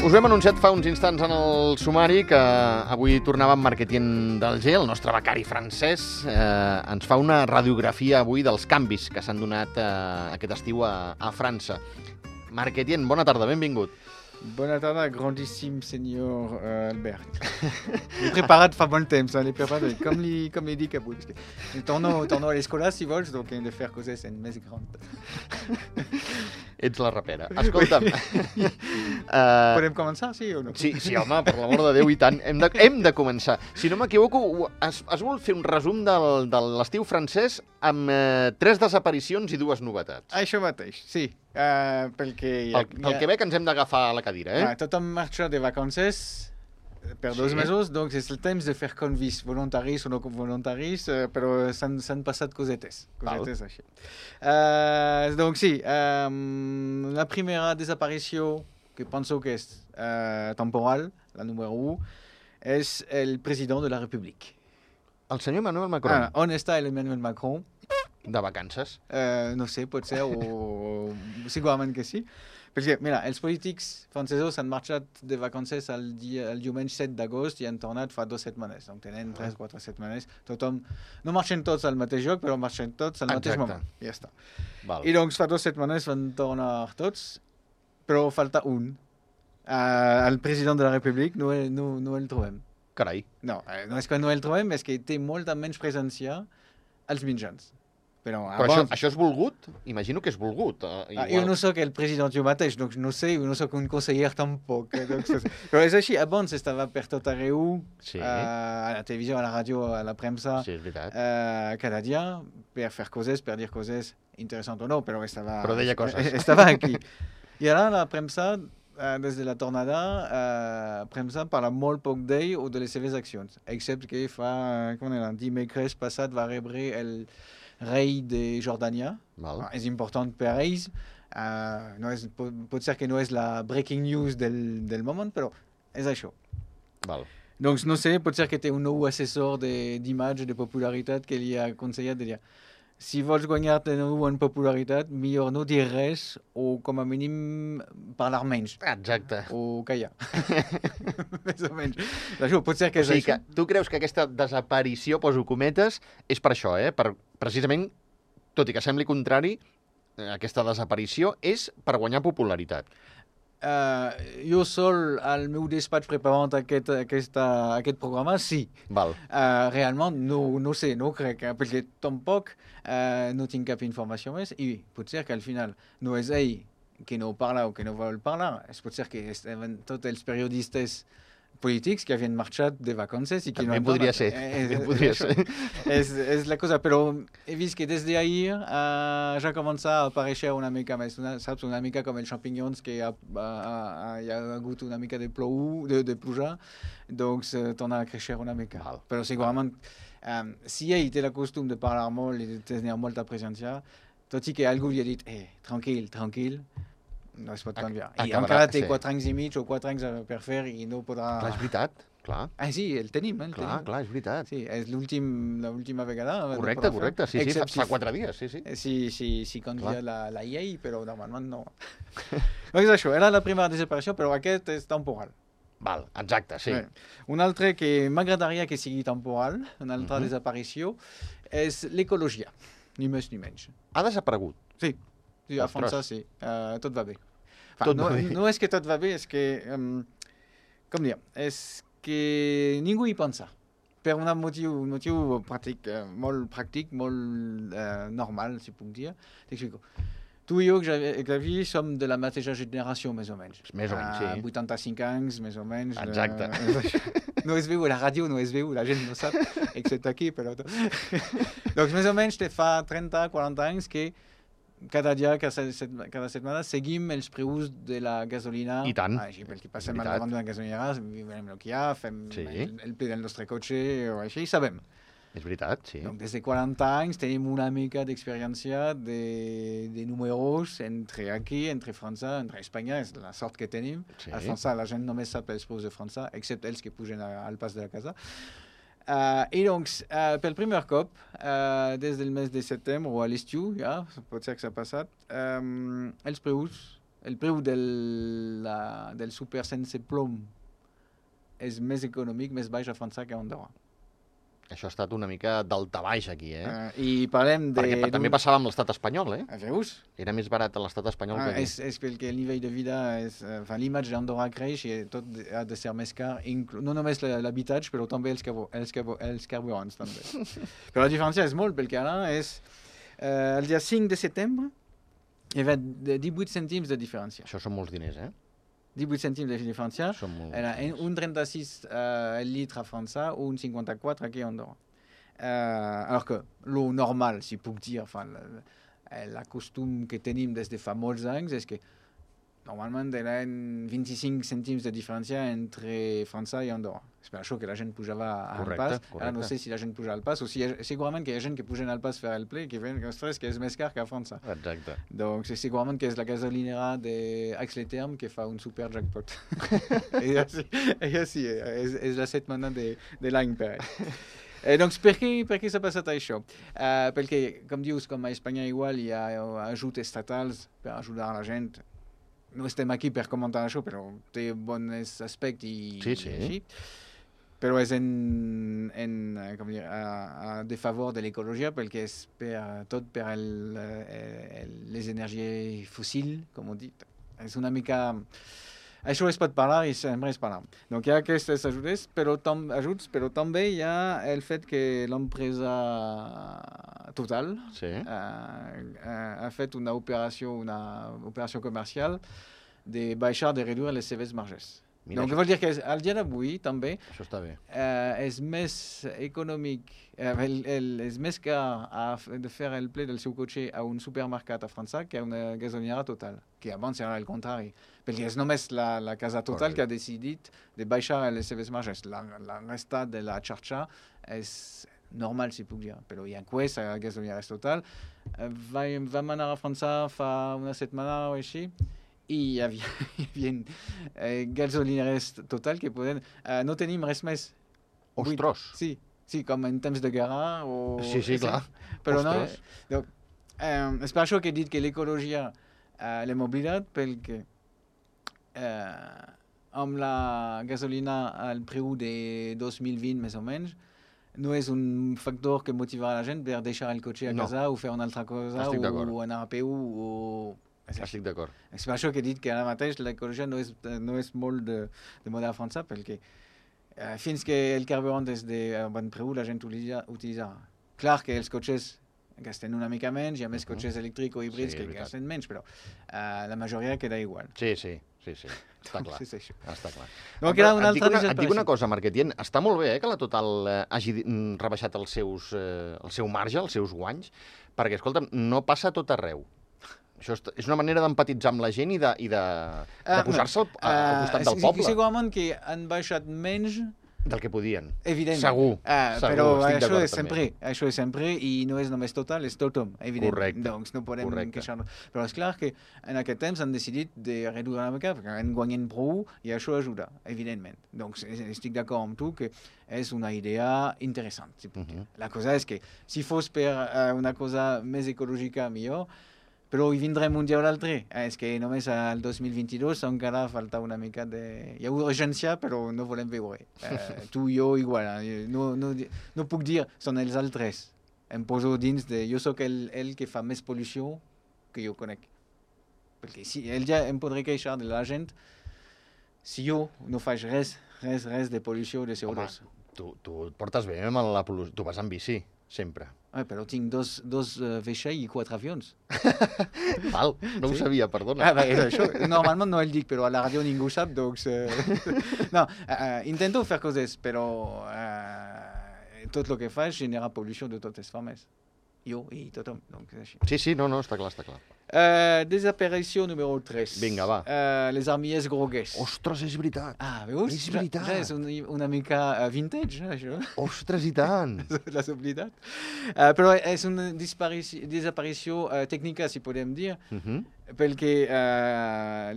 Us ho hem anunciat fa uns instants en el sumari que avui tornava en Marquetien d'Alger, el nostre becari francès. Ens fa una radiografia avui dels canvis que s'han donat aquest estiu a França. Marquetien, bona tarda, benvingut. Bona tarda, grandíssim senyor Albert. L'he preparat fa molt temps, l'he preparat com li dic avui. Torno a l'escola, si vols, donc hem de fer coses més grans. Ets la rapera. Escolta'm. Podem començar, sí o no? Sí, home, per l'amor de Déu, i tant. Hem de començar. Si no m'equivoco, es vol fer un resum de l'estiu francès amb 3 desaparicions i 2 novetats. Això mateix, sí. Pel que ve que ens hem d'agafar la cadira, eh? Tothom marxa de vacances per 2 mesos, doncs és el temps de fer convis voluntaris o no voluntaris, però s'han passat cosetes així. Donc sí, la primera desaparició, que penso que és temporal, la número 1, és el president de la República. El senyor Emmanuel Macron. On està Emmanuel Macron? De vacances? No sé, pot ser, o segurament que sí. Perquè, mira, els polítics francesos han marxat de vacances el diumenge 7 d'agost i han tornat fa 2 setmanes. Donc tenen 3-4 setmanes. Tothom, no marxen tots al mateix lloc, però marxen tots al mateix moment. Ja està. I doncs fa 2 setmanes van tornar tots, però falta un. El president de la República no el trobem. Carai. No és que no el trobem, és que té molta menys presència als mitjans. Però això és volgut? Imagino que és volgut. Jo no soc el president jo mateix, doncs no sé, no soc un conseller tampoc. Però és així, abans estava per tot arreu, a la televisió, a la ràdio, a la premsa, cada dia, per fer coses, per dir coses interessants o no, però deia coses. Estava aquí. I ara la premsa, des de la tornada, premsa parla molt poc d'ell o de les seves accions, excepte que dimecres passat va rebre el rei de Jordània. És important per ells. Pot ser que no és la breaking news del moment, però és això. Doncs no sé, pot ser que té un nou assessor d'imatge, de popularitat, que li ha aconsellat de dir si vols guanyar de nou en popularitat, millor no dir res o com a mínim parlar menys. Exacte. O callar. Més o menys. Això, pot ser que és això. Tu creus que aquesta desaparició, poso cometes, és per això, per precisament, tot i que sembli contrari, aquesta desaparició és per guanyar popularitat. Jo sol al meu despatx preparant aquest programa, sí. Realment no sé, no crec, perquè tampoc no tinc cap informació més i pot ser que al final no és ell que no parla o que no vol parlar, pot ser que tots els periodistes polítics que havien marxat de vacances i que també podria ser. És la cosa, però he vist que des d'ahir ja comença a aparèixer una mica més, saps? Una mica com els champignons que hi ha hagut una mica de pluja, doncs torna a créixer una mica. Però segurament, si ell té el costum de parlar molt i de tenir molta presència, tot i que algú li ha dit tranquil, no es pot canviar. I encara té 4 anys i mig o 4 anys per fer i no podrà... Clar, és veritat, clar. Sí, el tenim. Clar, és veritat. Sí, és l'última vegada. Correcte, sí, fa 4 dies, sí. Si canvia la llei, però normalment no. És això, era la primera desaparició, però aquest és temporal. Exacte, sí. Un altre que m'agradaria que sigui temporal, una altra desaparició, és l'ecologia, ni més ni menys. Ha desaparegut? Sí, a França sí, tot va bé. No és que tot va bé, és que, com dir, és que ningú hi pensa. Per un motiu pràctic, molt pràctic, molt normal, si puc dir. T'explico. Tu i jo, Xavi, som de la mateixa generació, més o menys. Més o menys, sí. 85 anys, més o menys. Exacte. No es veu, la ràdio no es veu, la gent no sap, excepte aquí, però... Donc, més o menys, te fa 30-40 anys que cada dia, cada setmana, seguim els preus de la gasolina. I tant. Perquè passem al davant d'una gasolinera, veiem el que hi ha, fem el ple del nostre cotxe, o així, i sabem. És veritat, sí. Donc, des de 40 anys tenim una mica d'experiència de números entre França, entre Espanya, és la sort que tenim. A França la gent només sap els preus de França, excepte els que pugen al pas de la casa. I doncs, pel primer cop, des del mes de setembre o a l'estiu, ja, pot ser que s'ha passat, els preus el preu del súper sense plom és més econòmic, més baix a França que a Andorra. Això ha estat una mica daltabaix aquí, I parlem de... Perquè també passava amb l'estat espanyol, Veus? Era més barat a l'estat espanyol que aquí. És perquè el nivell de vida, l'imatge d'Andorra creix i tot ha de ser més car, no només l'habitatge, però també els carburants. També. Però la diferència és molt, perquè ara és el dia 5 de setembre hi va 18 cèntims de diferència. Això són molts diners, 18 cèntims de diferència. Era un 36 el litre a França, un 54 aquí a Andorra. Alors que lo normal, si puc dir, la costum que tenim des de fa molts anys és que normalment eren 25 cèntims de diferència entre França i Andorra. És per això que la gent pujava al pas. Ara no sé si la gent puja al pas o si segurament que hi ha gent que pugen al pas fer el ple que ven ostres, que és més car que a França. Exacte. Donc segurament que és la gasolinera d'Aix-les-Thermes que fa un super jackpot. Ella sí, és la setmana de l'any per ell. Doncs per què s'ha passat això? Perquè, com dius, com a Espanya igual hi ha ajuts estatals per ajudar la gent. No estem aquí per comentar això, però té bons aspectes i així. Però és de favor de l'ecologia, perquè és tot per les energies fòssils, com ho dic. És una mica... Això es pot parlar i sempre es parla. Donc hi ha aquestes ajudes, però també hi ha el fet que l'empresa Total ha fet una operació comercial de baixar, de reduir les seves marges. Donc vol dir que al dia d'avui també això està bé. És més econòmic, és més car de fer el ple del seu cotxe a un supermercat a França que a una gasolinera Total, que abans era el contrari, perquè és només la casa Total que ha decidit de baixar les seves marges. La resta de la xarxa és normal, si puc dir, però hi ha Quest, a gasolineres Total. Vam anar a França fa una setmana o així, i hi havia gasolineres Total que poden... no tenim res més. Ostres! Sí, com en temps de guerra o... Sí, clar. Però no... És per això que he dit que l'ecologia l'hem oblidat, perquè amb la gasolina al preu de 2020 més o menys, no és un factor que motiva la gent per deixar el cotxe a casa o fer una altra cosa o anar a peu o... Estic d'acord. És per això que he dit que ara mateix l'ecologia no és molt de moda a França, perquè fins que el carburant és de bon preu, la gent utilitza. Clar que els cotxes gasten una mica menys, hi ha més cotxes elèctrics o híbrids que gasten menys, però la majoria queda igual. Sí. Està clar. Està clar. Et dic una cosa, Marc Etienne. Està molt bé que la Total hagi rebaixat el seu marge, els seus guanys, perquè, escolta'm, no passa a tot arreu. Això és una manera d'empatitzar amb la gent i de posar-se al costat del poble. Segurament que han baixat menys del que podien. Evident. Segur. Però això és sempre i no és només Total, és tothom, evident. Correcte. Doncs no podem queixar-nos. Però és clar que en aquest temps han decidit de reduir una mica, perquè han guanyat prou i això ajuda, evidentment. Doncs estic d'acord amb tu que és una idea interessant. La cosa és que si fos per una cosa més ecològica millor, però hi vindrem un dia o l'altre. És que només al 2022 encara falta una mica de... Hi ha urgència, però no volem veure. Tu i jo igual. No puc dir, són els altres. Em poso dins de... Jo sóc el que fa més pol·lució que jo conec. Perquè si el dia em podré queixar de la gent si jo no faig res de pol·lució de CO2. Home, tu et portes bé amb la pol·lució. Tu vas en bici, sempre. Però tinc dos vaixells i 4 avions. Val, no ho sabia, perdona. Això, normalment no el dic, però a la ràdio ningú sap, doncs... No, intento fer coses, però tot el que faig genera pol·lució de totes formes. Jo i tothom, doncs és així. Sí, no, està clar. Desaparició número 3. Vinga, va. Les armilles grogues. Ostres, és veritat. Veus? És veritat. Ja és una mica vintage, això. Ostres, i tant. L'has oblidat. Però és una desaparició tècnica, si podem dir, perquè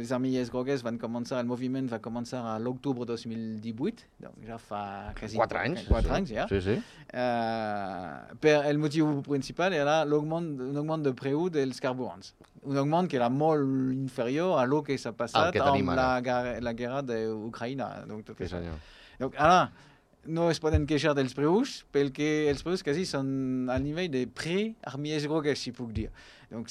les armilles grogues van començar, el moviment va començar a l'octubre 2018, doncs ja fa quasi 4 anys. 4 anys, ja. Sí. Per el motiu principal era l'augment de preu dels carburants. un augment que era molt inferior a lo que s'ha passat amb la guerra d'Ucraïna. Sí, senyor. Donc, ara, no es poden queixar dels preus, perquè els preus quasi són al nivell de pre-armies grogues, si puc dir. Donc,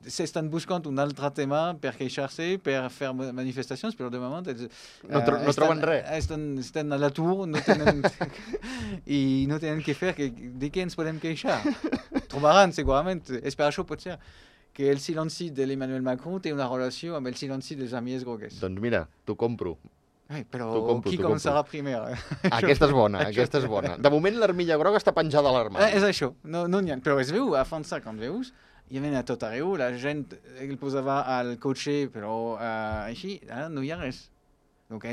s'estan buscant un altre tema per queixar-se, per fer manifestacions, però de moment no troben res. Estan a l'atur i no tenen què fer, de què ens podem queixar? Trobaran, segurament, és per això pot ser que el silenci de l'Emmanuel Macron té una relació amb el silenci dels armies grogues. Doncs mira, t'ho compro. Però qui començarà primer? Aquesta és bona, aquesta és bona. De moment l'armilla groga està penjada a l'armari. És això, no n'hi ha. Però es veu, a França, quan veus, hi havia a tot arreu, la gent el posava al cotxe, però així no hi ha res. Donc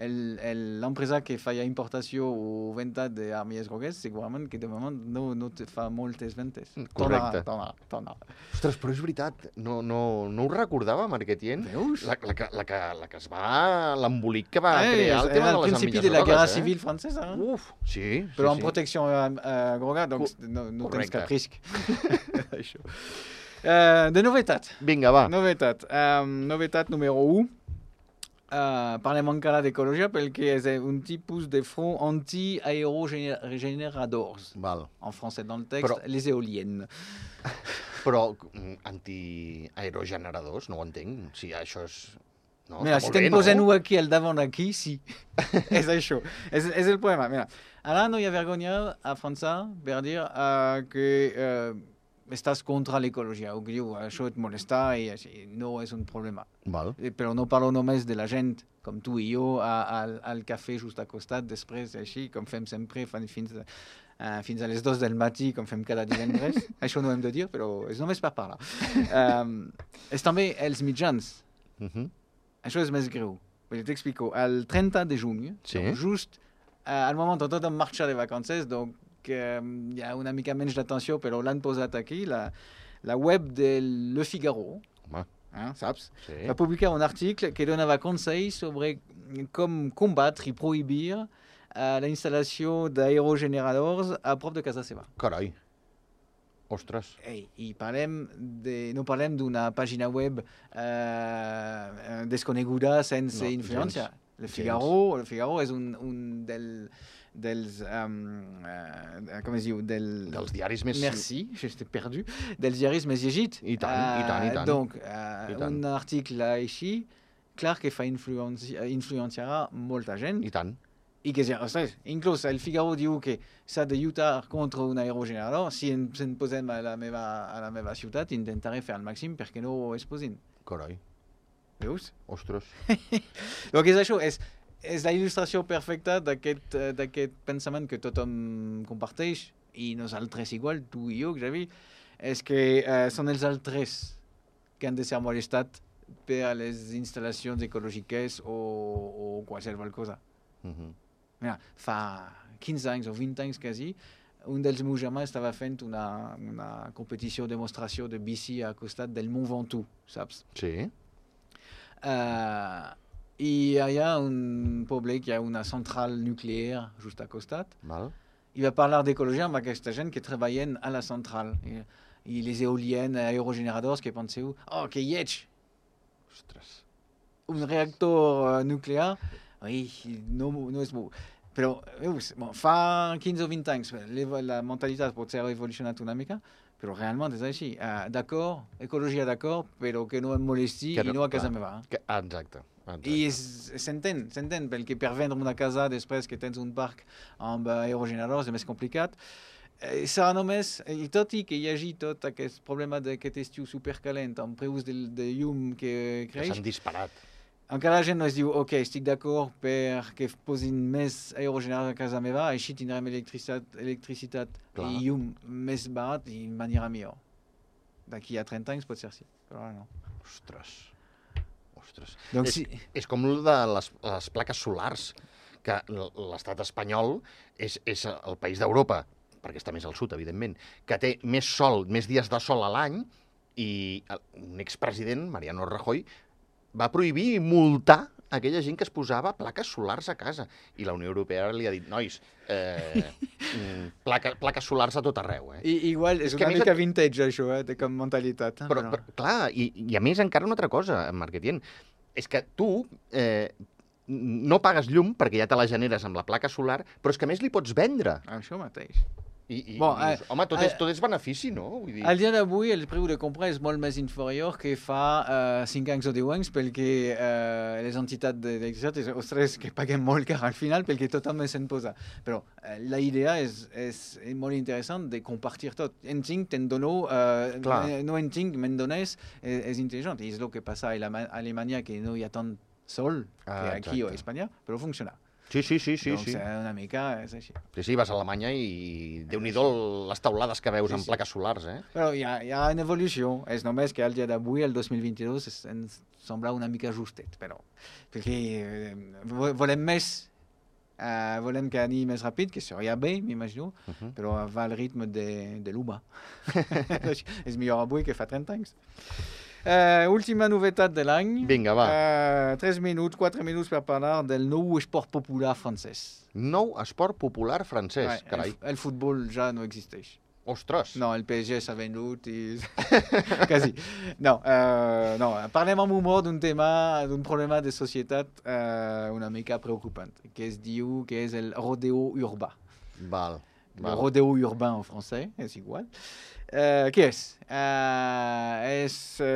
l'empresa que feia importació o venda d'armies grogues, segurament que de moment no te fa moltes ventes. Correcte. Tornarà. Ostres, però és veritat, no ho recordava, Marquetien? Veus? La que es va... l'embolic que va crear el tema de les armilles grogues. Al principi de la guerra civil francesa. Uf, sí. Però amb protecció groga, doncs no tens cap risc. Això. De novetat. Vinga, va. Novetat número 1. Parlem encara d'ecologia perquè és un tipus de front anti-aerogeneradors. En français, dans le texte, les éoliennes. Però anti-aerogeneradors, no ho entenc. Si això és... No, mira, si te'n posen-ho aquí al davant d'aquí, sí. És això. És el problema. Mira, ara no hi ha vergonya a França per dir que... estàs contra l'ecologia, o que diu, això et molesta i així, no és un problema. Però no parlo només de la gent, com tu i jo, al cafè just al costat, després, així, com fem sempre, fins a les 2 del matí, com fem cada divendres. Això no hem de dir, però és només per parlar. És també els mitjans. Això és més greu. T'explico. El 30 de juny, just al moment on tot en marxa de vacances, donc hi ha una mica menys d'atenció, però l'han posat aquí, la web de Le Figaro, saps? Sí. Va publicar un article que donava consells sobre com combatre i prohibir la instal·lació d'aerogeneradors a prop de casa seva. Carai. Ostres. I no parlem d'una pàgina web desconeguda sense influència. Le Figaro és un dels com es diu? Dels diaris més... Merci, j'étais perdu. Dels diaris més llegits. I tant. Donc, un article així, clar que influenciarà molta gent. I tant. I que, ostres, inclús el Figaro diu que s'ha de lluitar contra un aerogenerador. Si ens posem a la meva ciutat, intentaré fer el màxim perquè no es posin. Carai. Veus? Ostres. Donc és això, és la il·lustració perfecta d'aquest pensament que tothom comparteix, i nosaltres igual, tu i jo, Xavi, és que són els altres que han de ser molestats per a les instal·lacions ecològiques o qualsevol cosa. Mira, fa 15 anys o 20 anys quasi, un dels meus germans estava fent una competició o demostració de bici al costat del Mont Ventoux, saps? Sí. I hi ha un poble que hi ha una central nuclear just al costat. I va parlar d'ecologia amb aquesta gent que treballen a la central. I les eoliennes, aerogeneradors, que penseu, que lleig! Ostres. Un reactor nuclear, no és bo. Però, veus, fa 15 o 20 anys, la mentalitat pot ser evolucionat una mica, però realment és així. D'acord, ecologia d'acord, però que no em molesti i no a casa meva. Exacte. I s'entén, perquè per vendre una casa després que tens un parc amb aerogeneradors és més complicat. Serà només, i tot i que hi hagi tot aquest problema d'aquest estiu supercalent amb preus de llum que creix... Que s'han disparat. Encara la gent no es diu, estic d'acord perquè posin més aerogeneradors a casa meva, així tindrem electricitat i llum més barat i m'anirà millor. D'aquí a 30 anys pot ser sí, però ara no. Ostres. Donc, és com el de les plaques solars, que l'estat espanyol és el país d'Europa, perquè està més al sud, evidentment, que té més sol, més dies de sol a l'any, i un expresident, Mariano Rajoy, va prohibir i multar aquella gent que es posava plaques solars a casa. I la Unió Europea li ha dit, nois, plaques solars a tot arreu. Igual, és una mica vintage, això, com mentalitat. Però, clar, i a més encara una altra cosa, Marc Etienne, és que tu no pagues llum perquè ja te la generes amb la placa solar, però és que a més li pots vendre. Això mateix. Dius, home, tot és benefici, no? Vull dir... Al dia d'avui el preu de compra és molt més inferior que fa 5 anys o 10 anys perquè les entitats d'electricitat, ostres, que paguem molt car al final perquè tothom se'n posa. Però la idea és molt interessant de compartir tot. Entenc, te'n dono, no entenc, me'n dones, és intel·ligent. És el que passa a Alemanya, que no hi ha tant sol que aquí o a Espanya, però funciona. Sí. Doncs una mica és així. Sí, vas a Alemanya i déu-n'hi-do les taulades que veus amb plaques solars, Però hi ha una evolució. És només que al dia d'avui, el 2022, ens sembla una mica justet, però perquè volem més, volem que ani més ràpid, que seria bé, m'imagino, però va al ritme de l'humà. És millor avui que fa 30 anys. Última novetat de l'any. Vinga, va. 4 minuts per parlar del nou esport popular francès. Nou esport popular francès, carai. El futbol ja no existeix. Ostres! No, el PSG s'ha venut i... Quasi. No, parlem amb humor d'un tema, d'un problema de societat una mica preocupant, que es diu que és el rodeo urbà. Val. Le rodeo urbain en francès, és igual. Què és? És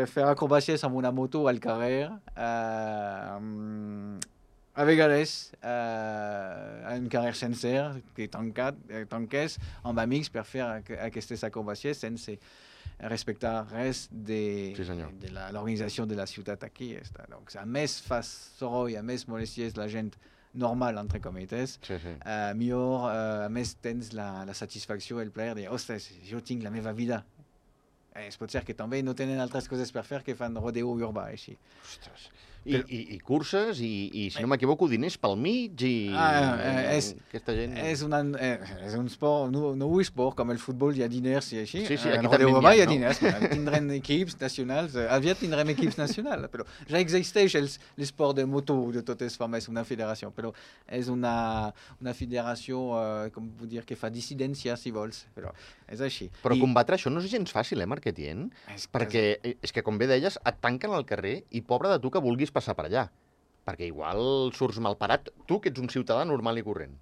fer acrobàcies amb una moto al carrer, a vegades un carrer sencer que tanqués amb amics per fer aquestes acrobàcies sense respectar res de l'organització de la ciutat aquí. Donc, a més fa soroll, a més molesties la gent normal, entre cometes, millor, a més tens la satisfacció, el plaer de, ostres, jo tinc la meva vida. Es pot ser que també no tenen altres coses per fer que fan rodeo urbà, així. Ostres. I curses, i si no m'equivoco, diners pel mig, i aquesta gent... És un sport, no un esport, com el futbol hi ha diners i així. Sí, aquí també n'hi hi ha diners. Tindrem equips nacionals, aviat tindrem equips nacionals, però ja existeix l'esport de moto de totes formes, una federació, però és una federació, com puc dir, que fa dissidència, si vols, però és així. Però combatre això no és gens fàcil, Marc Etienne? Perquè és que, com bé deies, et tanquen al carrer i pobre de tu que vulguis passar per allà, perquè igual surts malparat, tu que ets un ciutadà normal i corrent.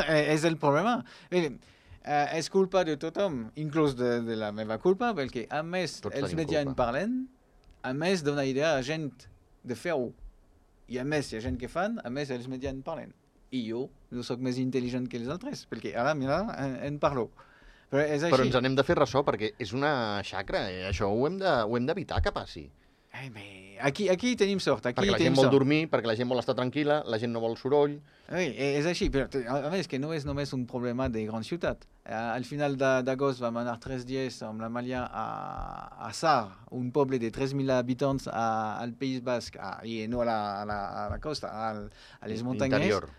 És el problema. És culpa de tothom, inclús de la meva culpa, perquè a més els mitjans parlen, a més dona idea a gent de fer-ho. I a més hi ha gent que fan, a més els mitjans parlen. I jo no soc més intel·ligent que els altres, perquè ara, mira, en parlo. Però ens n'hem de fer ressò, perquè és una xacra, això ho hem d'evitar que passi. Aquí tenim sort. Perquè la gent vol dormir, perquè la gent vol estar tranquil·la, la gent no vol soroll. És així, però a més que no és només un problema de gran ciutat. Al final d'agost vam anar 3 dies amb la Malia a Sar, un poble de 3.000 habitants al País Basc, i no a la costa, a les muntanyes. Interior.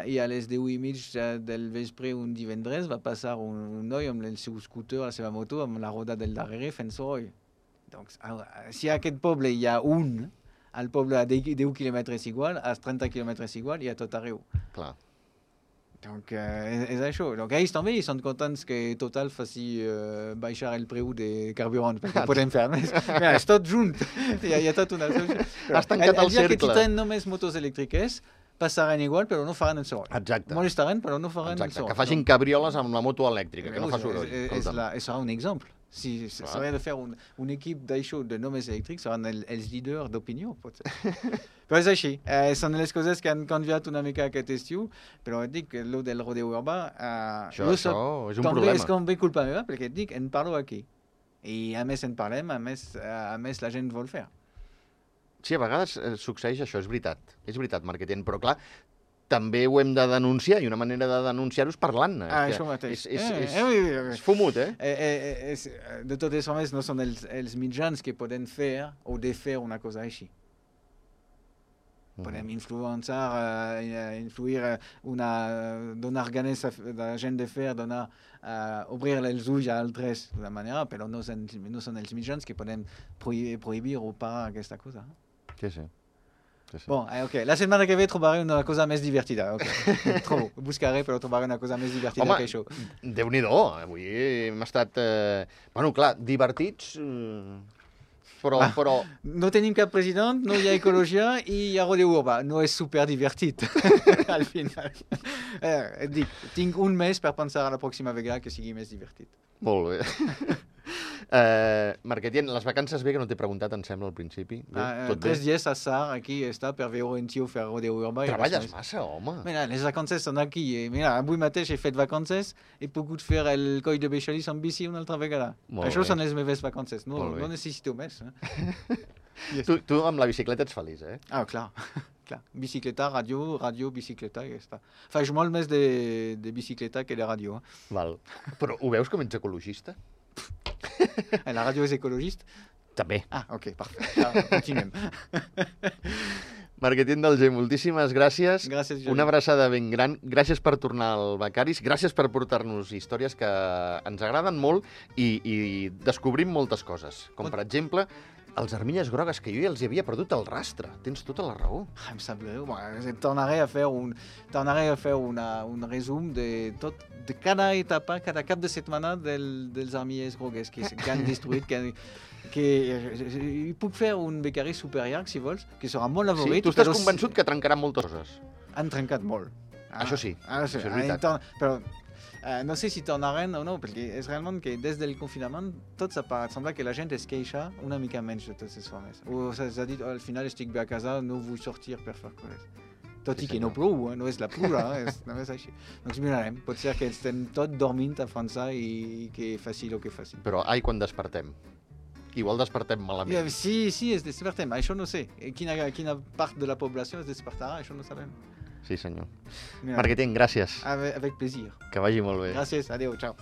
I a les 10:30 del vespre un divendres va passar un noi amb el seu scooter, la seva moto, amb la roda del darrere fent soroll. Donc, si a aquest poble hi ha un, al poble a 10 quilòmetres igual, a 30 quilòmetres igual, hi ha tot arreu. Clar. Donc, és això. Donc, ells també són contents que Total faci baixar el preu de carburant, perquè podem fer més. Mira, és tot junt. Hi ha tot una... Has tancat el cercle. El dia que tindran només motos elèctriques, passaran igual, però no faran el soroll. Exacte. Molestaran, però no faran el soroll. Que facin cabrioles amb la moto elèctrica, que no fa soroll. Serà un exemple. Si s'hauria de fer un equip d'això de només elèctrics, seran els líders d'opinió, potser. Però és així. Són les coses que han canviat una mica aquest estiu, però et dic que el del rodeo urbà... Això és un problema. És com bé culpa meva, perquè et dic, en parlo aquí. I a més en parlem, a més la gent vol fer. Sí, a vegades succeeix això, és veritat, Marc Etienne, però clar, també ho hem de denunciar, i una manera de denunciar-ho és parlant-ne. Això mateix. És fumut, De totes formes, no són els mitjans que poden fer o de fer una cosa així. Podem influir, donar ganes a la gent de fer, obrir els ulls a altres d'una manera, però no són els mitjans que podem prohibir o parar aquesta cosa. Sí. Sí, sí. Bon, ok. La setmana que ve trobaré una cosa més divertida. Okay. Trobo. Buscaré, però trobaré una cosa més divertida que això. Déu-n'hi-do. Avui hem estat... Bueno, clar, divertits... Però... No tenim cap president, no hi ha ecologia i hi ha rodeo urbà. No és super divertit, al final. Dic, tinc un mes per pensar a la pròxima vegada que sigui més divertit. Molt bé. Marquetien, les vacances bé, que no t'he preguntat, em sembla, al principi. Bé, tot 3 dies a Sar, aquí està, per veure en tio fer rodeo urbà. Treballes massa, home. Mira, les vacances són aquí. Mira, avui mateix he fet vacances, he pogut fer el coll de Beixalís amb bici una altra vegada. Això són les meves vacances, no necessito més. Tu amb la bicicleta ets feliç, eh? Ah, clar. Bicicleta, ràdio, bicicleta, i ja està. Faig molt més de bicicleta que de ràdio. Val. Però ho veus com ets ecologista? La ràdio és ecologista? També. Ah, ok, perfecte. Continuem. Marquetín d'Alger, moltíssimes gràcies. Gràcies, Jordi. Una abraçada ben gran. Gràcies per tornar al Becaris. Gràcies per portar-nos històries que ens agraden molt i descobrim moltes coses. Com, per exemple, els armilles grogues, que jo ja els havia perdut el rastre. Tens tota la raó. Em sap greu. Tornaré a fer un resum de cada etapa, cada cap de setmana dels armilles grogues que han destruït, que puc fer un becari super llarg, si vols, que serà molt avorrit. Sí, tu estàs convençut que trencaran moltes coses. Han trencat molt. Això sí, això és veritat. Però no sé si tornaran o no, perquè és realment que des del confinament tot sembla que la gent es queixa una mica menys de totes les formes. O s'ha dit, al final estic bé a casa, no vull sortir per fer coses. Tot i que no plou, no és la pluja, no és així. Doncs mirarem, pot ser que estem tot dormint a França i que faci el que faci. Però ai, quan despertem. Igual despertem malament. Sí, es despertem, això no sé. Quina part de la població es despertarà, això no sabem. Sí, senyor. Marquetín, gràcies. Avec plaisir. Que vagi molt bé. Gràcies, adéu, ciao.